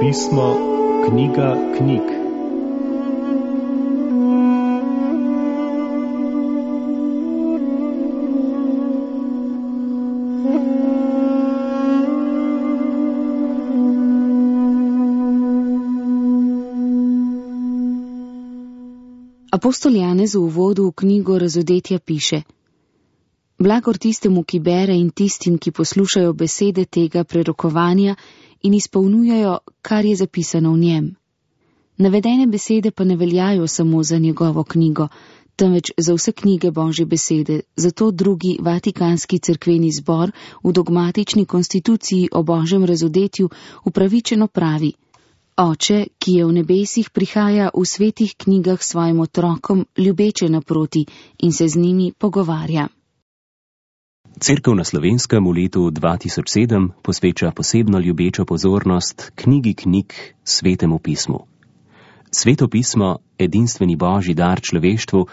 pismo, knjiga knjig. Apostol Janez v uvodu v knjigo Razodetja piše: Blagor tistemu, ki bere, in tistim, ki poslušajo besede tega prerokovanja in izpolnjujejo, kar je zapisano v njem. Navedene besede pa ne veljajo samo za njegovo knjigo, temveč za vse knjige Božje besede, zato drugi Vatikanski cerkveni zbor v dogmatični konstituciji o Božjem razodetju upravičeno pravi: Oče, ki je v nebesih, prihaja v svetih knjigah svojim otrokom ljubeče naproti in se z njimi pogovarja. Cerkev na Slovenskem v letu 2007 posveča posebno ljubečo pozornost knjigi knjig, Svetemu pismu. Sveto pismo, edinstveni Božji dar človeštvu,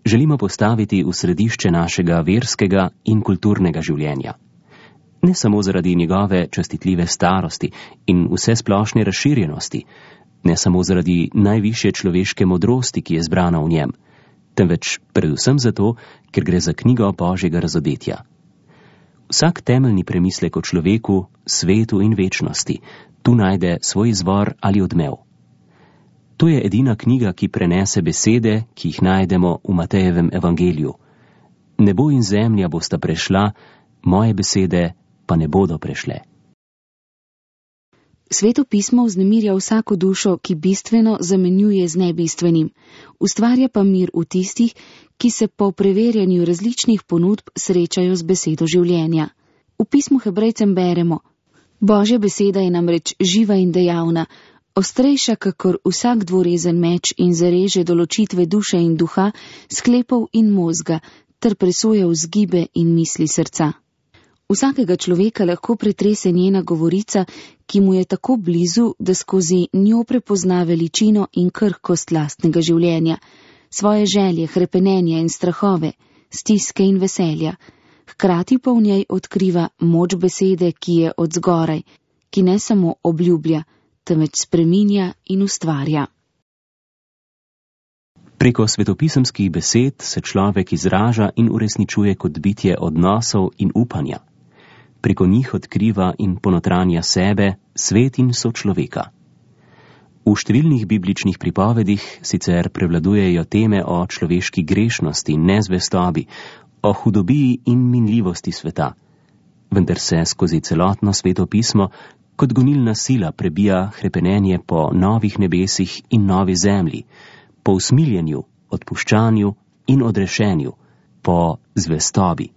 želimo postaviti v središče našega verskega in kulturnega življenja. Ne samo zaradi njegove častitljive starosti in vse splošne razširjenosti, ne samo zaradi najvišje človeške modrosti, ki je zbrana v njem, temveč predvsem zato, ker gre za knjigo Božjega razodetja. Vsak temeljni premislek o človeku, svetu in večnosti tu najde svoj izvor ali odmev. To je edina knjiga, ki prenese besede, ki jih najdemo v Matejevem evangeliju. Nebo in zemlja bosta prešla, moje besede pa ne bodo prešle. Sveto pismo vznemirja vsako dušo, ki bistveno zamenjuje z nebistvenim, ustvarja pa mir v tistih, ki se po preverjanju različnih ponudb srečajo z besedo življenja. V pismu Hebrejcem beremo: Božja beseda je namreč živa in dejavna, ostrejša kakor vsak dvorezen meč in zareže do ločitve duše in duha, sklepov in možga, ter presoja vzgibe in misli srca. Vsakega človeka lahko pretrese njena govorica, ki mu je tako blizu, da skozi njo prepozna veličino in krhkost lastnega življenja, svoje želje, hrepenenja in strahove, stiske in veselja. Hkrati pa v njej odkriva moč besede, ki je od zgoraj, ki ne samo obljublja, temveč spreminja in ustvarja. Preko svetopisemskih besed se človek izraža in uresničuje kot bitje odnosov in upanja. Preko njih odkriva in ponotranja sebe, svet in sočloveka. V številnih bibličnih pripovedih sicer prevladujejo teme o človeški grešnosti, nezvestobi, o hudobiji in minljivosti sveta, vendar se skozi celotno Sveto pismo kot gonilna sila prebija hrepenenje po novih nebesih in novi zemlji, po usmiljenju, odpuščanju in odrešenju, po zvestobi.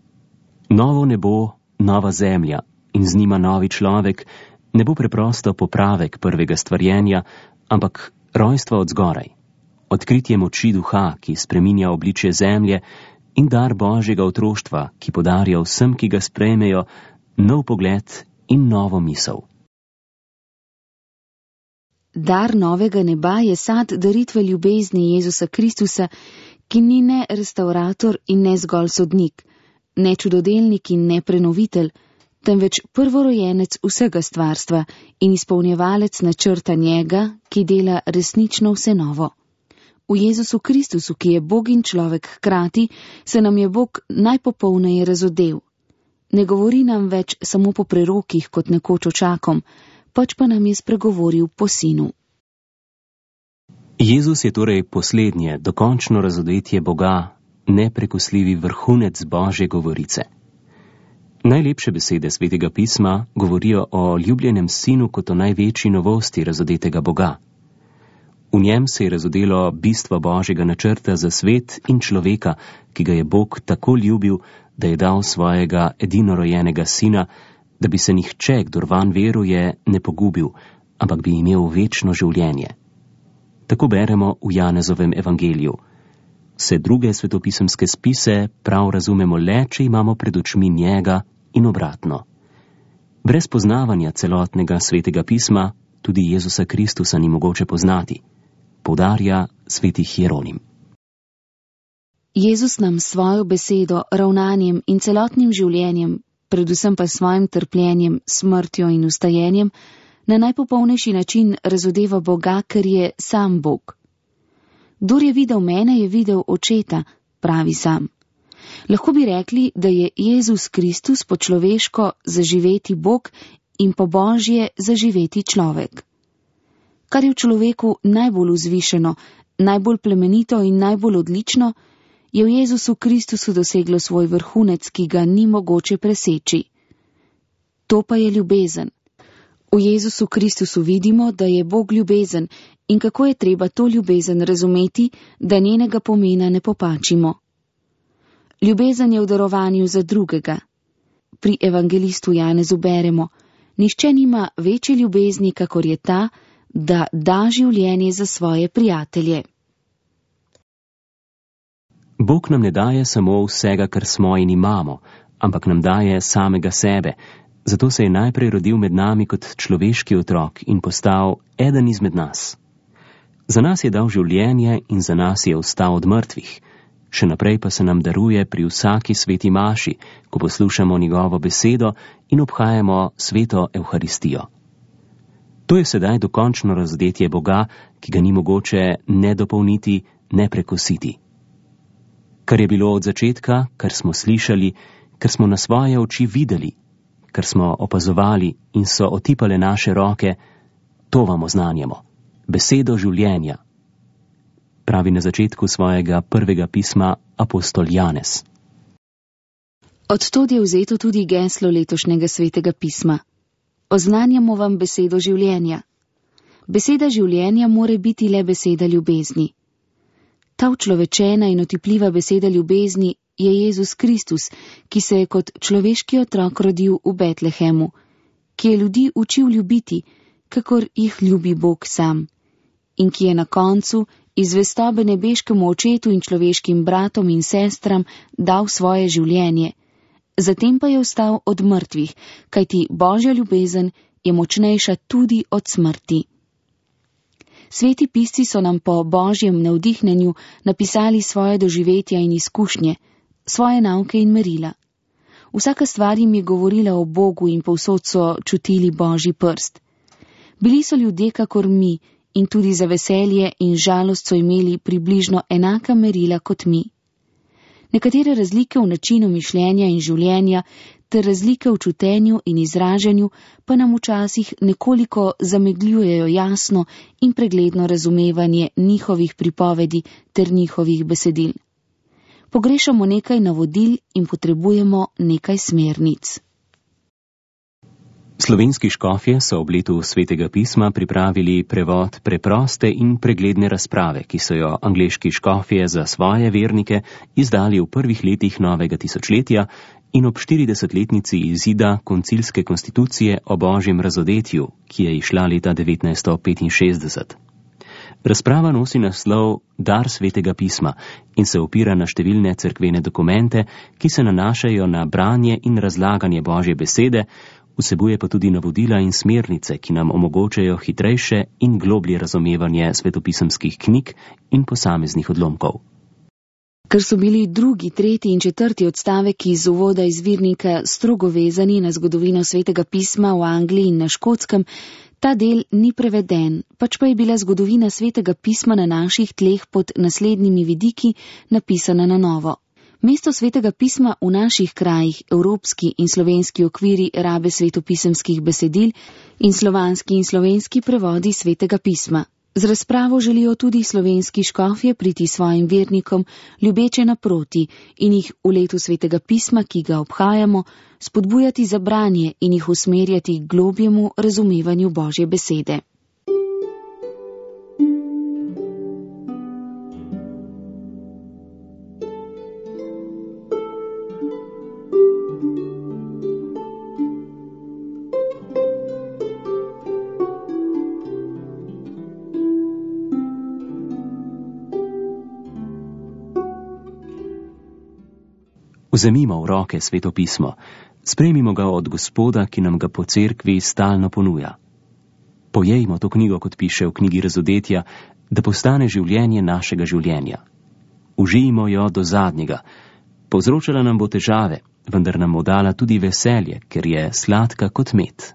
Novo nebo, nova zemlja in z njima novi človek ne bo preprosto popravek prvega stvarjenja, ampak rojstvo od zgoraj, odkritje moči duha, ki spreminja obličje zemlje, in dar Božjega otroštva, ki podarja vsem, ki ga sprejmejo, nov pogled in novo misel. Dar novega neba je sad daritve ljubezni Jezusa Kristusa, ki ni ne restaurator in ne zgolj sodnik, ne čudodelnik in ne prenovitelj, temveč prvorojenec vsega stvarstva in izpolnjevalec načrta njega, ki dela resnično vse novo. V Jezusu Kristusu, ki je Bog in človek hkrati, se nam je Bog najpopolneje razodel. Ne govori nam več samo po prerokih kot nekoč očakom, pač pa nam je spregovoril po sinu. Jezus je torej poslednje, dokončno razodetje Boga, neprekosljivi vrhunec Božje govorice. Najlepše besede Svetega pisma govorijo o ljubljenem sinu kot o največji novosti razodetega Boga. V njem se je razodelo bistvo Božjega načrta za svet in človeka, ki ga je Bog tako ljubil, da je dal svojega edinorojenega sina, da bi se nihče, kdor vanj veruje, ne pogubil, ampak bi imel večno življenje. Tako beremo v Janezovem evangeliju. Vse druge svetopisemske spise prav razumemo le, če imamo pred očmi njega in obratno. Brez poznavanja celotnega Svetega pisma tudi Jezusa Kristusa ni mogoče poznati, poudarja sveti Hieronim. Jezus nam svojo besedo, ravnanjem in celotnim življenjem, predvsem pa svojim trpljenjem, smrtjo in vstajenjem, Na najpopolnejši način razodeva Boga, ker je sam Bog. Kdor je videl mene, je videl Očeta, pravi sam. Lahko bi rekli, da je Jezus Kristus po človeško zaživeti Bog in po Božje zaživeti človek. Kar je v človeku najbolj vzvišeno, najbolj plemenito in najbolj odlično, je v Jezusu Kristusu doseglo svoj vrhunec, ki ga ni mogoče preseči. To pa je ljubezen. V Jezusu Kristusu vidimo, da je Bog ljubezen in kako je treba to ljubezen razumeti, da njenega pomena ne popačimo. Ljubezen je v darovanju za drugega. Pri evangelistu Janezu beremo: nihče nima večje ljubezni, kakor je ta, da da življenje za svoje prijatelje. Bog nam ne daje samo vsega, kar smo in imamo, ampak nam daje samega sebe. Zato se je najprej rodil med nami kot človeški otrok in postal eden izmed nas. Za nas je dal življenje in za nas je vstal od mrtvih. Še naprej pa se nam daruje pri vsaki sveti maši, ko poslušamo njegovo besedo in obhajamo sveto Evharistijo. To je sedaj dokončno razodetje Boga, ki ga ni mogoče ne dopolniti, ne prekositi. Kar je bilo od začetka, kar smo slišali, kar smo na svoje oči videli, kar smo opazovali in so otipale naše roke, to vam oznanjamo. Besedo življenja, pravi na začetku svojega prvega pisma apostol Janez. Od tod je vzeto tudi geslo letošnjega svetega pisma. Oznanjamo vam besedo življenja. Beseda življenja more biti le beseda ljubezni. Ta učlovečena in otipljiva beseda ljubezni je Jezus Kristus, ki se je kot človeški otrok rodil v Betlehemu, ki je ljudi učil ljubiti, kakor jih ljubi Bog sam, in ki je na koncu iz zvestobe nebeškemu očetu in človeškim bratom in sestram dal svoje življenje, zatem pa je vstal od mrtvih, kajti Božja ljubezen je močnejša tudi od smrti. Sveti pisci so nam po Božjem navdihnjenju napisali svoje doživetja in izkušnje, svoje nauke in merila. Vsaka stvar jim je govorila o Bogu in povsod so čutili Božji prst. Bili so ljudje kakor mi in tudi za veselje in žalost so imeli približno enaka merila kot mi. Nekatere razlike v načinu mišljenja in življenja ter razlike v čutenju in izražanju pa nam včasih nekoliko zamegljujejo jasno in pregledno razumevanje njihovih pripovedi ter njihovih besedil. Pogrešamo nekaj navodil in potrebujemo nekaj smernic. Slovenski škofje so ob letu svetega pisma pripravili prevod preproste in pregledne razprave, ki so jo angleški škofje za svoje vernike izdali v prvih letih novega tisočletja in ob 40-letnici izida koncilske konstitucije o Božjem razodetju, ki je izšla leta 1965. Razprava nosi naslov Dar svetega pisma in se opira na številne cerkvene dokumente, ki se nanašajo na branje in razlaganje Božje besede, vsebuje pa tudi navodila in smernice, ki nam omogočajo hitrejše in globlje razumevanje svetopisemskih knjig in posameznih odlomkov. Ker so bili 2., 3. in 4. odstavek iz uvoda izvirnika strogo vezani na zgodovino svetega pisma v Angliji in na Škotskem, ta del ni preveden, pač pa je bila zgodovina svetega pisma na naših tleh pod naslednjimi vidiki napisana na novo. Mesto svetega pisma v naših krajih, evropski in slovenski okviri rabe svetopisemskih besedil in slovanski in slovenski prevodi svetega pisma. Z razpravo želijo tudi slovenski škofje priti svojim vernikom ljubeče naproti in jih v letu svetega pisma, ki ga obhajamo, spodbujati za branje in jih usmerjati k globjemu razumevanju Božje besede. Vzemimo v roke sveto pismo, sprejmimo ga od Gospoda, ki nam ga po cerkvi stalno ponuja. Pojejmo to knjigo, kot piše v knjigi Razodetja, da postane življenje našega življenja. Užijmo jo do zadnjega. Povzročala nam bo težave, vendar nam bo dala tudi veselje, ker je sladka kot med.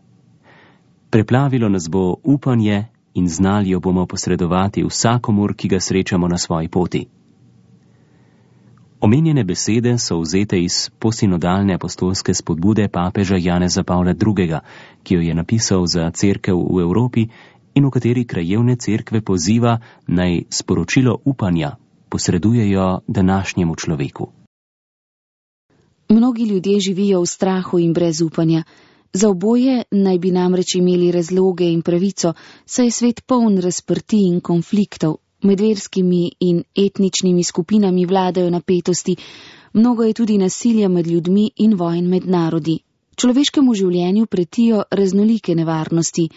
Preplavilo nas bo upanje in znali jo bomo posredovati vsakomur, ki ga srečamo na svoji poti. Omenjene besede so vzete iz posinodalne apostolske spodbude papeža Janeza Pavla II., ki jo je napisal za cerkev v Evropi in v kateri krajevne cerkve poziva, naj sporočilo upanja posredujejo današnjemu človeku. Mnogi ljudje živijo v strahu in brez upanja. Za oboje naj bi namreč imeli razloge in pravico, saj je svet poln razprtij in konfliktov. Med verskimi in etničnimi skupinami vladajo napetosti, mnogo je tudi nasilja med ljudmi in vojn med narodi. Človeškemu življenju pretijo raznolike nevarnosti,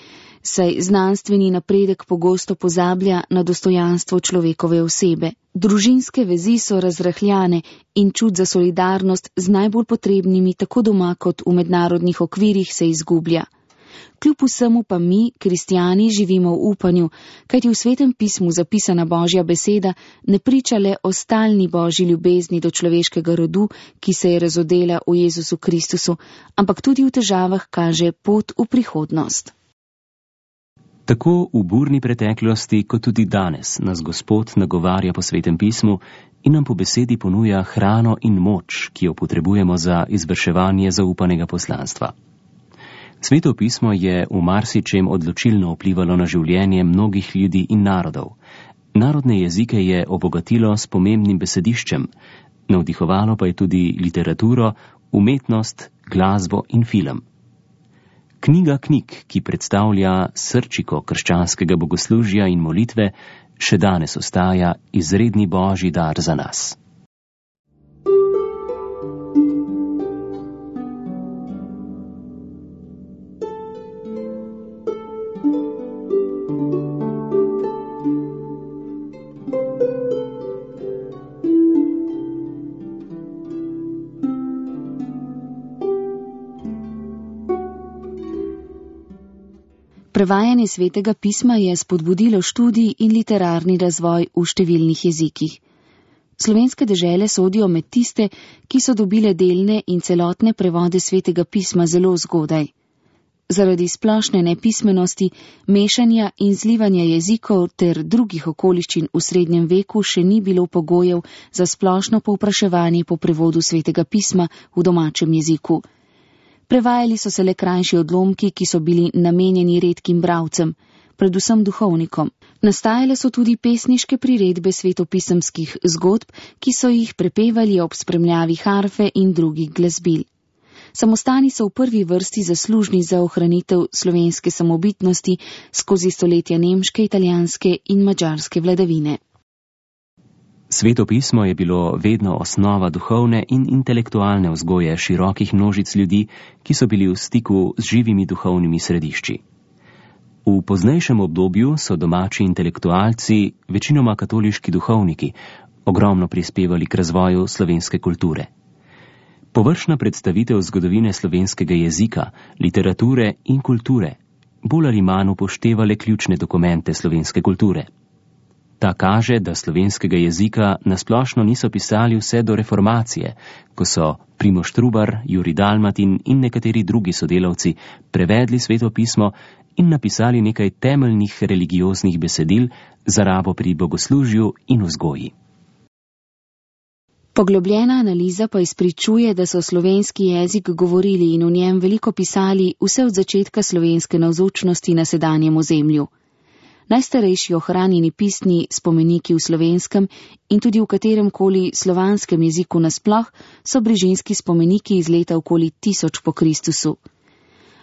saj znanstveni napredek pogosto pozablja na dostojanstvo človekove osebe. Družinske vezi so razrahljane in čut za solidarnost z najbolj potrebnimi tako doma kot v mednarodnih okvirih se izgublja. Kljub vsemu pa mi, kristjani, živimo v upanju, kajti v Svetem pismu zapisana Božja beseda ne priča le o stalni Božji ljubezni do človeškega rodu, ki se je razodela v Jezusu Kristusu, ampak tudi v težavah kaže pot v prihodnost. Tako v burni preteklosti, kot tudi danes nas Gospod nagovarja po Svetem pismu in nam po besedi ponuja hrano in moč, ki jo potrebujemo za izvrševanje zaupanega poslanstva. Sveto pismo je v marsičem odločilno vplivalo na življenje mnogih ljudi in narodov. Narodne jezike je obogatilo s pomembnim besediščem, navdihovalo pa je tudi literaturo, umetnost, glasbo in film. Knjiga knjig, ki predstavlja srčiko krščanskega bogoslužja in molitve, še danes ostaja izredni Božji dar za nas. Prevajanje Svetega pisma je spodbudilo študij in literarni razvoj v številnih jezikih. Slovenske dežele sodijo med tiste, ki so dobile delne in celotne prevode Svetega pisma zelo zgodaj. Zaradi splošne nepismenosti, mešanja in zlivanja jezikov ter drugih okoliščin v srednjem veku še ni bilo pogojev za splošno povpraševanje po prevodu Svetega pisma v domačem jeziku. Prevajali so se le krajši odlomki, ki so bili namenjeni redkim bralcem, predvsem duhovnikom. Nastajale so tudi pesniške priredbe svetopisemskih zgodb, ki so jih prepevali ob spremljavi harfe in drugih glasbil. Samostani so v prvi vrsti zaslužni za ohranitev slovenske samobitnosti skozi stoletja nemške, italijanske in madžarske vladavine. Sveto pismo je bilo vedno osnova duhovne in intelektualne vzgoje širokih množic ljudi, ki so bili v stiku z živimi duhovnimi središči. V poznejšem obdobju so domači intelektualci, večinoma katoliški duhovniki, ogromno prispevali k razvoju slovenske kulture. Površna predstavitev zgodovine slovenskega jezika, literature in kulture bolj ali manj upoštevale ključne dokumente slovenske kulture. Ta kaže, da slovenskega jezika nasplošno niso pisali vse do reformacije, ko so Primož Trubar, Jurij Dalmatin in nekateri drugi sodelavci prevedli Sveto pismo in napisali nekaj temeljnih religioznih besedil za rabo pri bogoslužju in vzgoji. Poglobljena analiza pa izpričuje, da so slovenski jezik govorili in v njem veliko pisali vse od začetka slovenske navzočnosti na sedanjem ozemlju. Najstarejši ohranjeni pisni spomeniki v slovenskem in tudi v katerem koli slovanskem jeziku nasploh so brižinski spomeniki iz leta okoli 1000 po Kristusu.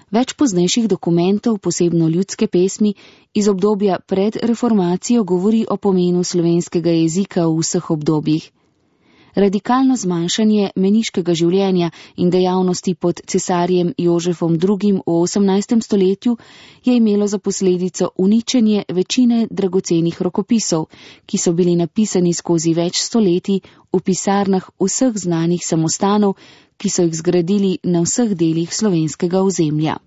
Več poznejših dokumentov, posebno ljudske pesmi, iz obdobja pred reformacijo govori o pomenu slovenskega jezika v vseh obdobjih. Radikalno zmanjšanje meniškega življenja in dejavnosti pod cesarjem Jožefom II. V 18. stoletju je imelo za posledico uničenje večine dragocenih rokopisov, ki so bili napisani skozi več stoletij v pisarnah vseh znanih samostanov, ki so jih zgradili na vseh delih slovenskega ozemlja.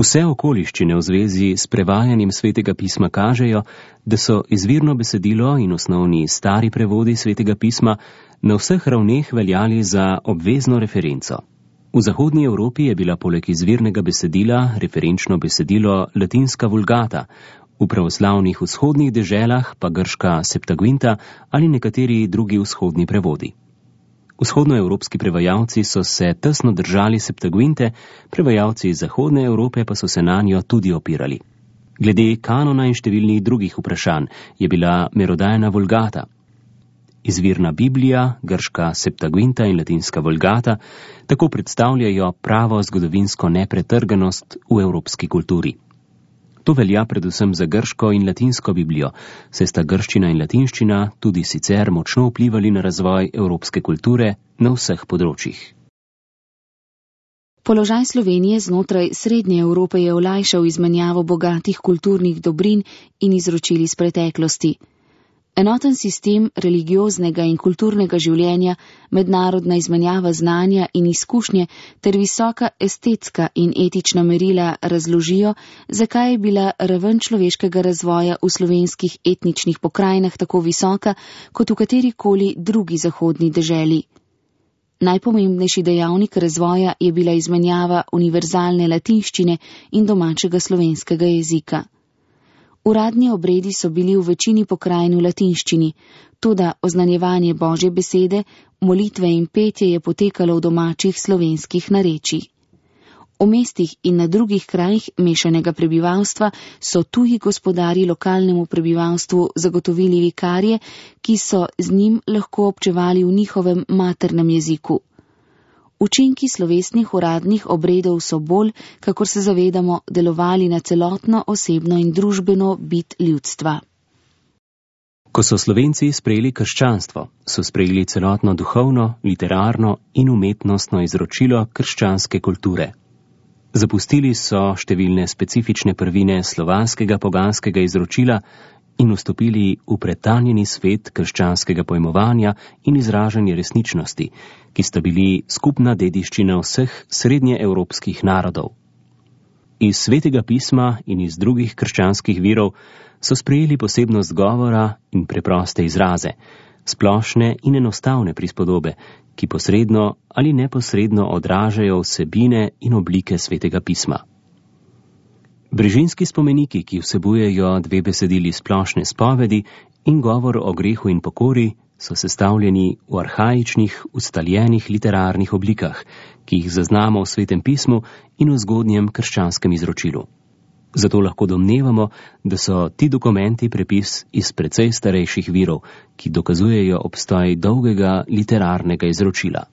Vse okoliščine v zvezi s prevajanjem Svetega pisma kažejo, da so izvirno besedilo in osnovni stari prevodi Svetega pisma na vseh ravneh veljali za obvezno referenco. V zahodnji Evropi je bila poleg izvirnega besedila referenčno besedilo latinska vulgata, v pravoslavnih vzhodnih deželah pa grška Septuaginta ali nekateri drugi vzhodni prevodi. Vzhodnoevropski prevajalci so se tesno držali Septuaginte, prevajalci iz Zahodne Evrope pa so se na njo tudi opirali. Glede kanona in številnih drugih vprašanj je bila merodajna vulgata. Izvirna Biblija, grška Septuaginta in latinska vulgata tako predstavljajo pravo zgodovinsko nepretrganost v evropski kulturi. To velja predvsem za grško in latinsko Biblijo, saj sta grščina in latinščina tudi sicer močno vplivali na razvoj evropske kulture na vseh področjih. Položaj Slovenije znotraj Srednje Evrope je olajšal izmenjavo bogatih kulturnih dobrin in izročil iz preteklosti. Enoten sistem religioznega in kulturnega življenja, mednarodna izmenjava znanja in izkušnje ter visoka estetska in etična merila razložijo, zakaj je bila raven človeškega razvoja v slovenskih etničnih pokrajinah tako visoka kot v katerikoli drugi zahodni deželi. Najpomembnejši dejavnik razvoja je bila izmenjava univerzalne latinščine in domačega slovenskega jezika. Uradni obredi so bili v večini pokrajin v latinščini, toda oznanjevanje Božje besede, molitve in petje je potekalo v domačih slovenskih narečjih. V mestih in na drugih krajih mešanega prebivalstva so tuji gospodarji lokalnemu prebivalstvu zagotovili vikarje, ki so z njim lahko občevali v njihovem maternem jeziku. Učinki slovesnih uradnih obredov so bolj, kakor se zavedamo, delovali na celotno osebno in družbeno bit ljudstva. Ko so Slovenci sprejeli krščanstvo, so sprejeli celotno duhovno, literarno in umetnostno izročilo krščanske kulture. Zapustili so številne specifične prvine slovanskega poganskega izročila in vstopili v pretanjeni svet krščanskega pojmovanja in izražanja resničnosti, ki sta bili skupna dediščina vseh srednjeevropskih narodov. Iz Svetega pisma in iz drugih krščanskih virov so sprejeli posebnost govora in preproste izraze, splošne in enostavne prispodobe, ki posredno ali neposredno odražajo vsebine in oblike Svetega pisma. Brežinski spomeniki, ki vsebujejo 2 besedili splošne spovedi in govor o grehu in pokori, so sestavljeni v arhaičnih, ustaljenih literarnih oblikah, ki jih zaznamo v Svetem pismu in v zgodnjem krščanskem izročilu. Zato lahko domnevamo, da so ti dokumenti prepis iz precej starejših virov, ki dokazujejo obstoj dolgega literarnega izročila.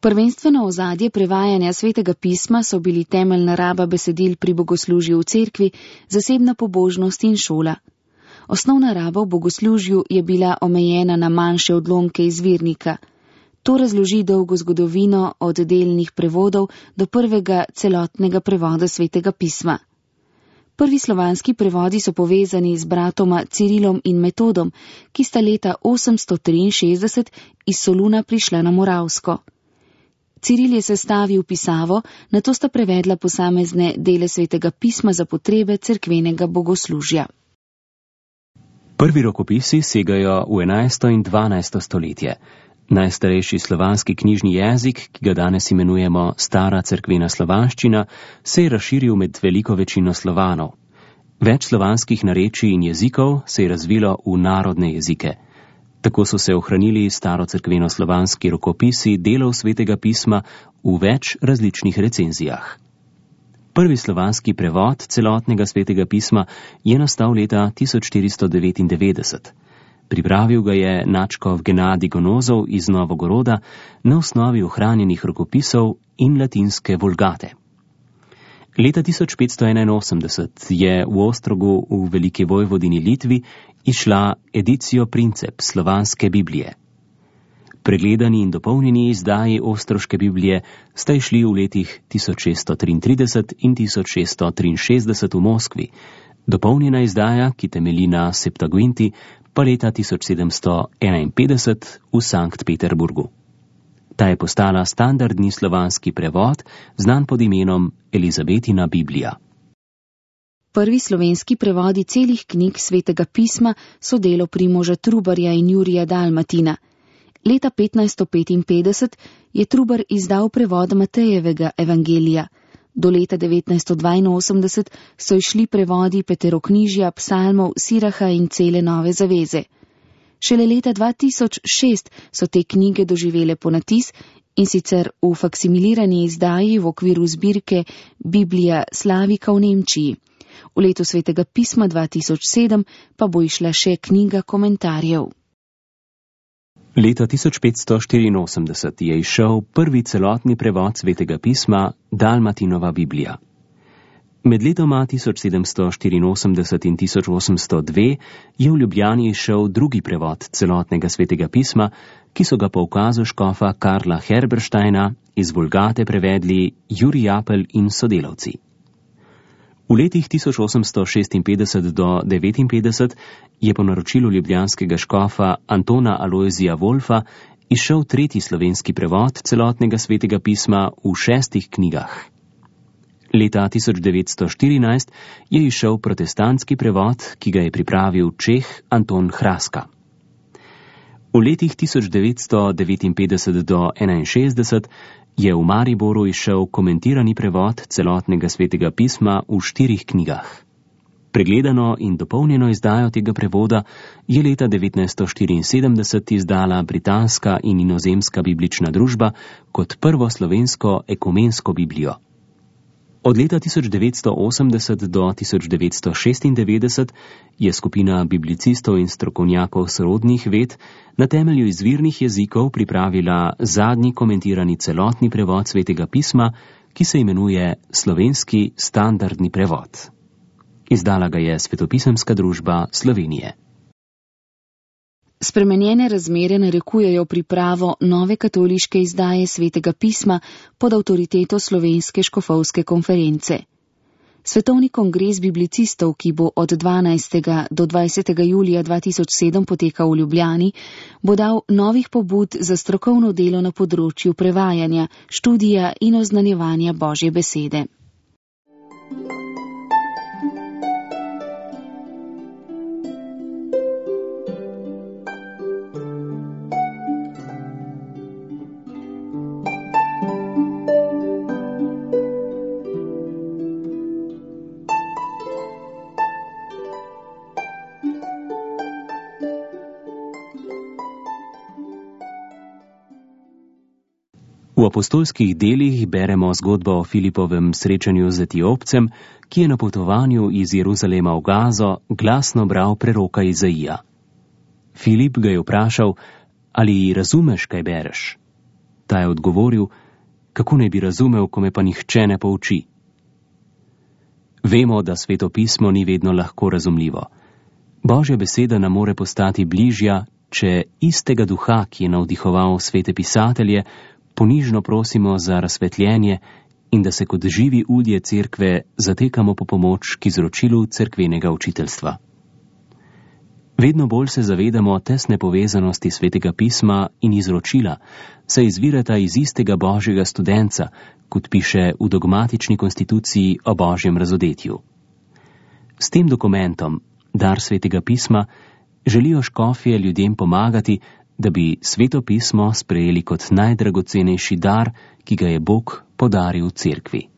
Prvenstveno ozadje prevajanja Svetega pisma so bili temeljna raba besedil pri bogoslužju v cerkvi, zasebna pobožnost in šola. Osnovna raba v bogoslužju je bila omejena na manjše odlomke izvirnika. To razloži dolgo zgodovino od delnih prevodov do prvega celotnega prevoda Svetega pisma. Prvi slovanski prevodi so povezani z bratoma Cirilom in Metodom, ki sta leta 863 iz Soluna prišla na Moravsko. Ciril je sestavil pisavo, nato sta prevedla posamezne dele Svetega pisma za potrebe cerkvenega bogoslužja. Prvi rokopisi segajo v 11. in 12. stoletje. Najstarejši slovanski knjižni jezik, ki ga danes imenujemo stara cerkvena slovanščina, se je razširil med veliko večino Slovanov. Več slovanskih narečij in jezikov se je razvilo v narodne jezike. Tako so se ohranili starocerkveno-slovanski rokopisi delov Svetega pisma v več različnih recenzijah. Prvi slovanski prevod celotnega Svetega pisma je nastal leta 1499. Pripravil ga je nadškof Genadij Gonozov iz Novogoroda na osnovi ohranjenih rokopisov in latinske vulgate. Leta 1581 je v Ostrogu v Veliki Vojvodini Litvi izšla Edicio Princeps slovanske Biblije. Pregledani in dopolnjeni izdaji Ostroške Biblije sta išli v letih 1633 in 1663 v Moskvi, dopolnjena izdaja, ki temelji na Septuaginti, pa leta 1751 v Sankt Peterburgu. Ta je postala standardni slovanski prevod, znan pod imenom Elizabetina Biblija. Prvi slovenski prevodi celih knjig Svetega pisma so delo Primoža Trubarja in Jurija Dalmatina. Leta 1555 je Trubar izdal prevod Matejevega evangelija. Do leta 1982 so išli prevodi Peteroknjižja, psalmov, Siraha in cele Nove zaveze. Šele leta 2006 so te knjige doživele ponatis, in sicer v faksimilirani izdaji v okviru zbirke Biblija Slavika v Nemčiji. V letu Svetega pisma 2007 pa bo išla še knjiga komentarjev. Leta 1584 je izšel prvi celotni prevod Svetega pisma Dalmatinova Biblija. Med letoma 1784 in 1802 je v Ljubljani izšel drugi prevod celotnega Svetega pisma, ki so ga po ukazu škofa Karla Herbersteina iz Vulgate prevedli Jurij Apel in sodelavci. V letih 1856 do 1859 je po naročilu ljubljanskega škofa Antona Alojzija Wolfa izšel tretji slovenski prevod celotnega Svetega pisma v 6 knjigah. Leta 1914 je izšel protestantski prevod, ki ga je pripravil Čeh Anton Hraska. V letih 1959 do 1961 je v Mariboru izšel komentirani prevod celotnega Svetega pisma v 4 knjigah. Pregledano in dopolnjeno izdajo tega prevoda je leta 1974 izdala Britanska in inozemska biblična družba kot prvo slovensko ekumensko Biblijo. Od leta 1980 do 1996 je skupina biblicistov in strokovnjakov sorodnih ved na temelju izvirnih jezikov pripravila zadnji komentirani celotni prevod Svetega pisma, ki se imenuje Slovenski standardni prevod. Izdala ga je Svetopisemska družba Slovenije. Spremenjene razmere narekujejo pripravo nove katoliške izdaje Svetega pisma pod avtoriteto Slovenske škofovske konference. Svetovni kongres biblicistov, ki bo od 12. do 20. julija 2007 potekal v Ljubljani, bo dal novih pobud za strokovno delo na področju prevajanja, študija in oznanjevanja Božje besede. V apostolskih delih beremo zgodbo o Filipovem srečanju z Etiopcem, ki je na potovanju iz Jeruzalema v Gazo glasno bral preroka Izaija. Filip ga je vprašal, ali razumeš, kaj bereš? Ta je odgovoril, kako naj bi razumel, ko me pa nihče ne pouči. Vemo, da Sveto pismo ni vedno lahko razumljivo. Božja beseda nam more postati bližja, če istega duha, ki je navdihoval svete pisatelje, ponižno prosimo za razsvetljenje in da se kot živi udje cerkve zatekamo po pomoč k izročilu cerkvenega učiteljstva. Vedno bolj se zavedamo tesne povezanosti Svetega pisma in izročila, saj izvirata iz istega Božjega studenca, kot piše v dogmatični konstituciji o Božjem razodetju. S tem dokumentom, dar Svetega pisma, želijo škofje ljudem pomagati, da bi Sveto pismo sprejeli kot najdragocenejši dar, ki ga je Bog podaril cerkvi.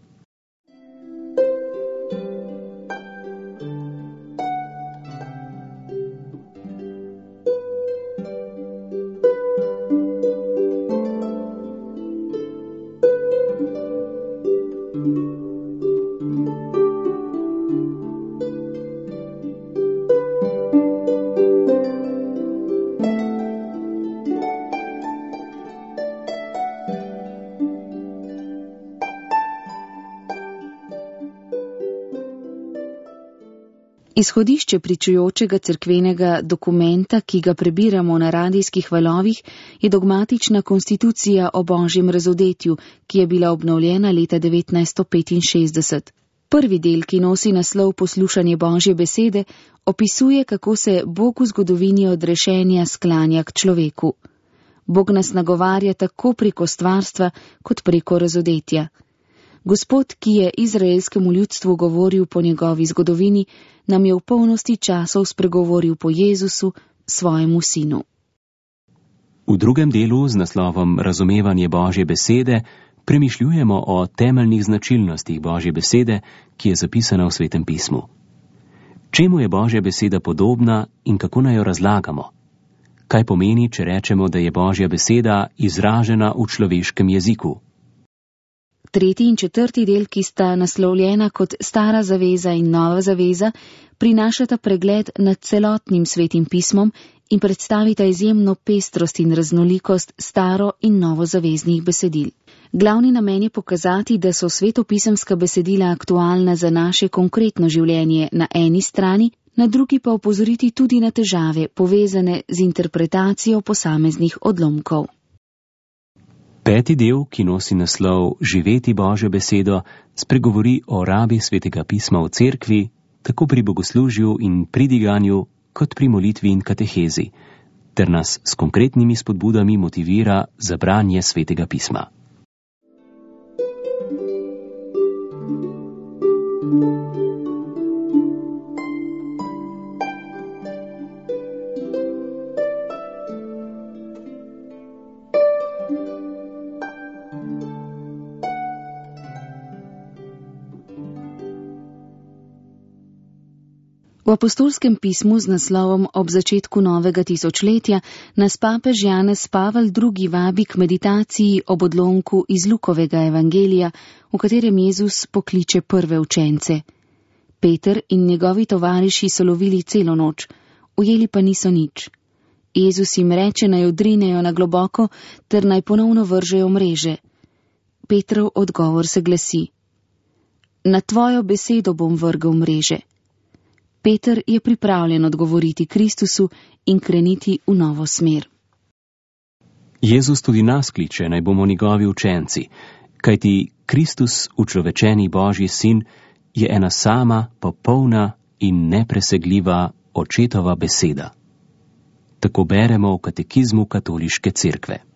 Izhodišče pričujočega cerkvenega dokumenta, ki ga prebiramo na radijskih valovih, je dogmatična konstitucija o Božjem razodetju, ki je bila obnovljena leta 1965. Prvi del, ki nosi naslov Poslušanje Božje besede, opisuje, kako se Bog v zgodovini odrešenja sklanja k človeku. Bog nas nagovarja tako preko stvarstva, kot preko razodetja. Gospod, ki je izraelskemu ljudstvu govoril po njegovi zgodovini, nam je v polnosti časov spregovoril po Jezusu, svojemu sinu. V drugem delu z naslovom Razumevanje Božje besede premišljujemo o temeljnih značilnostih Božje besede, ki je zapisana v Svetem pismu. Čemu je Božja beseda podobna in kako naj jo razlagamo? Kaj pomeni, če rečemo, da je Božja beseda izražena v človeškem jeziku? Tretji in četrti del, ki sta naslovljena kot Stara zaveza in Nova zaveza, prinašata pregled nad celotnim Svetim pismom in predstavita izjemno pestrost in raznolikost staro- in novozaveznih besedil. Glavni namen je pokazati, da so svetopisemska besedila aktualna za naše konkretno življenje na eni strani, na drugi pa opozoriti tudi na težave, povezane z interpretacijo posameznih odlomkov. Peti del, ki nosi naslov Živeti Božjo besedo, spregovori o rabi Svetega pisma v cerkvi, tako pri bogoslužju in pridiganju, kot pri molitvi in katehezi, ter nas s konkretnimi spodbudami motivira za branje Svetega pisma. V apostolskem pismu z naslovom Ob začetku novega tisočletja nas papež Janez Pavel II. Vabi k meditaciji ob odlomku iz Lukovega evangelija, v katerem Jezus pokliče prve učence. Peter in njegovi tovariši so lovili celo noč, ujeli pa niso nič. Jezus jim reče, naj odrinejo na globoko ter naj ponovno vržejo mreže. Petrov odgovor se glasi: Na tvojo besedo bom vrgel mreže. Peter je pripravljen odgovoriti Kristusu in kreniti v novo smer. Jezus tudi nas kliče, naj bomo njegovi učenci, kajti Kristus, učlovečeni Božji sin, je ena sama, popolna in nepresegljiva očetova beseda. Tako beremo v katekizmu Katoliške cerkve.